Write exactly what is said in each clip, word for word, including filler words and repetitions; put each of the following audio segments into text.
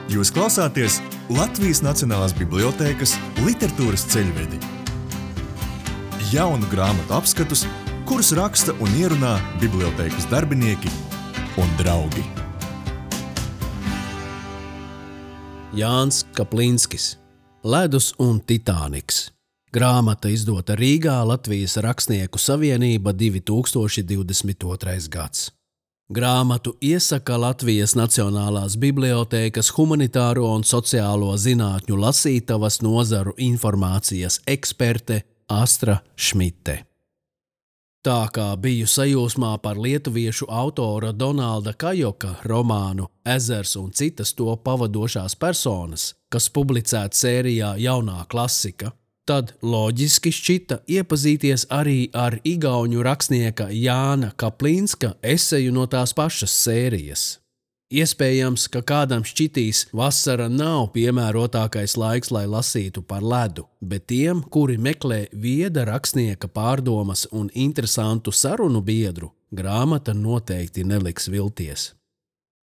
Jūs klausāties Latvijas Nacionālās bibliotēkas literatūras ceļvedi. Jaunu grāmatu apskatus, kurus raksta un ierunā bibliotēkas darbinieki un draugi. Jānis Kaplinskis, Ledus un Titāniks. Grāmata izdota Rīgā, Latvijas Rakstnieku savienība, divi tūkstoši divdesmit otrais gads. Grāmatu iesaka Latvijas Nacionālās bibliotēkas humanitāro un sociālo zinātņu lasītavas nozaru informācijas eksperte Astra Šmite. Tā kā biju sajūsmā par lietuviešu autora Donalda Kajoka romānu Ezers un citas to pavadošās personas, kas publicēta sērijā Jaunā klasika, tad loģiski šķita iepazīties arī ar igauņu rakstnieka Jāna Kaplinska eseju no tās pašas sērijas. Iespējams, ka kādam šķitīs vasara nav piemērotākais laiks, lai lasītu par ledu, bet tiem, kuri meklē vieda rakstnieka pārdomas un interesantu sarunu biedru, grāmata noteikti neliks vilties.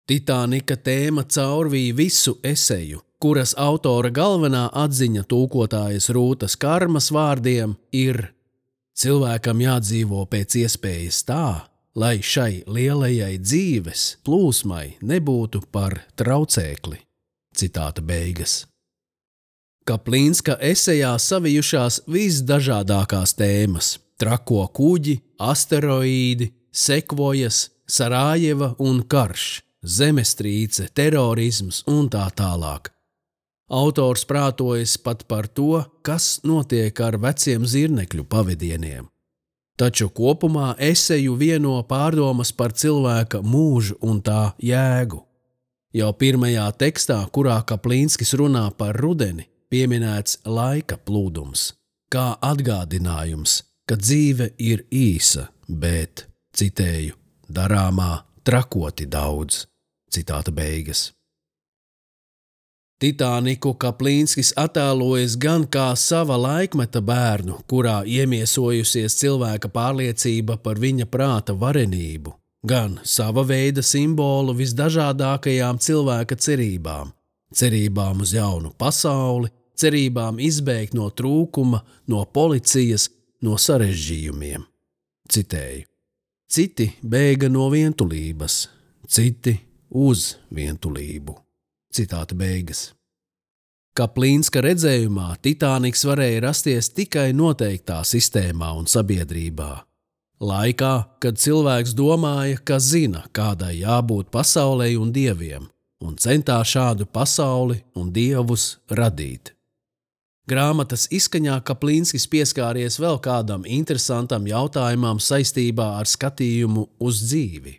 Titānika tēma caurvīja visu eseju, kuras autora galvenā atziņa tulkotājas Rūtas Karmas vārdiem ir: cilvēkam jādzīvo pēc iespējas tā, lai šai lielajai dzīves plūsmai nebūtu par traucēkli. Citāta beigas. Kaplinska esejā savijušās visdažādākās tēmas – trako kuģi, asteroīdi, sekvojas, Sarājeva un karš, zemestrīce, terorisms un tā tālāk. Autors prātojas pat par to, kas notiek ar veciem zirnekļu pavadieniem. Taču kopumā eseju vieno pārdomas par cilvēka mūžu un tā jēgu. Jau pirmajā tekstā, kurā Kaplinskis runā par rudeni, pieminēts laika plūdums, kā atgādinājums, ka dzīve ir īsa, bet, citēju, darāmā trakoti daudz. Citāta beigas. Titāniku Kaplinskis attēlojas gan kā sava laikmeta bērnu, kurā iemiesojusies cilvēka pārliecība par viņa prāta varenību, gan sava veida simbolu visdažādākajām cilvēka cerībām, cerībām uz jaunu pasauli, cerībām izbēgt no trūkuma, no policijas, no sarežģījumiem. Citēju. Citi bēga no vientulības, citi uz vientulību. Citāta beigas. Kaplinska redzējumā Titāniks varēja rasties tikai noteiktā sistēmā un sabiedrībā. Laikā, kad cilvēks domāja, ka zina, kādai jābūt pasaulei un dieviem, un centās šādu pasauli un dievus radīt. Grāmatas izskaņā Kaplinskis pieskāries vēl kādam interesantam jautājumam saistībā ar skatījumu uz dzīvi.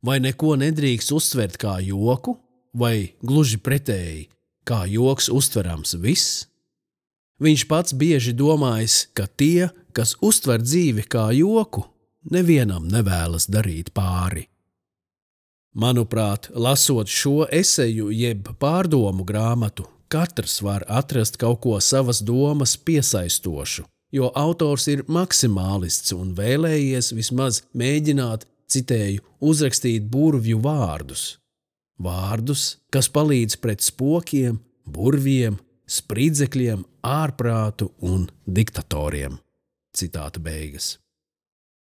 Vai neko nedrīkst uztvert kā joku? Vai gluži pretēji, kā joks uztverams viss? Viņš pats bieži domājis, ka tie, kas uztver dzīvi kā joku, nevienam nevēlas darīt pāri. Manuprāt, lasot šo eseju jeb pārdomu grāmatu, katrs var atrast kaut ko savas domas piesaistošu, jo autors ir maksimālists un vēlējies vismaz mēģināt, citēju, uzrakstīt burvju vārdus. Vārdus, kas palīdz pret spokiem, burviem, spridzekļiem, ārprātu un diktatoriem. Citāta beigas.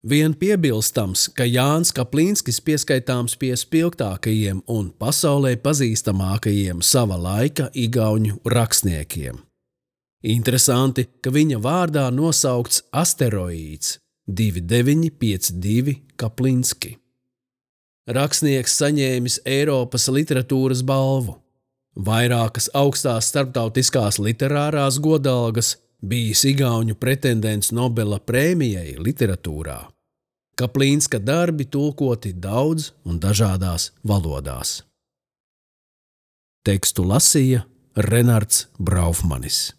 Vien piebilstams, ka Jānis Kaplinskis pieskaitāms pie spilgtākajiem un pasaulē pazīstamākajiem sava laika igauņu rakstniekiem. Interesanti, ka viņa vārdā nosaukts asteroīds divi deviņi pieci divi Kaplinski. Rakstnieks saņēmis Eiropas literatūras balvu, vairākas augstās starptautiskās literārās godalgas, bijis igauņu pretendents Nobela prēmijai literatūrā. Kaplinska darbi tulkoti daudz un dažādās valodās. Tekstu lasīja Renards Braufmanis.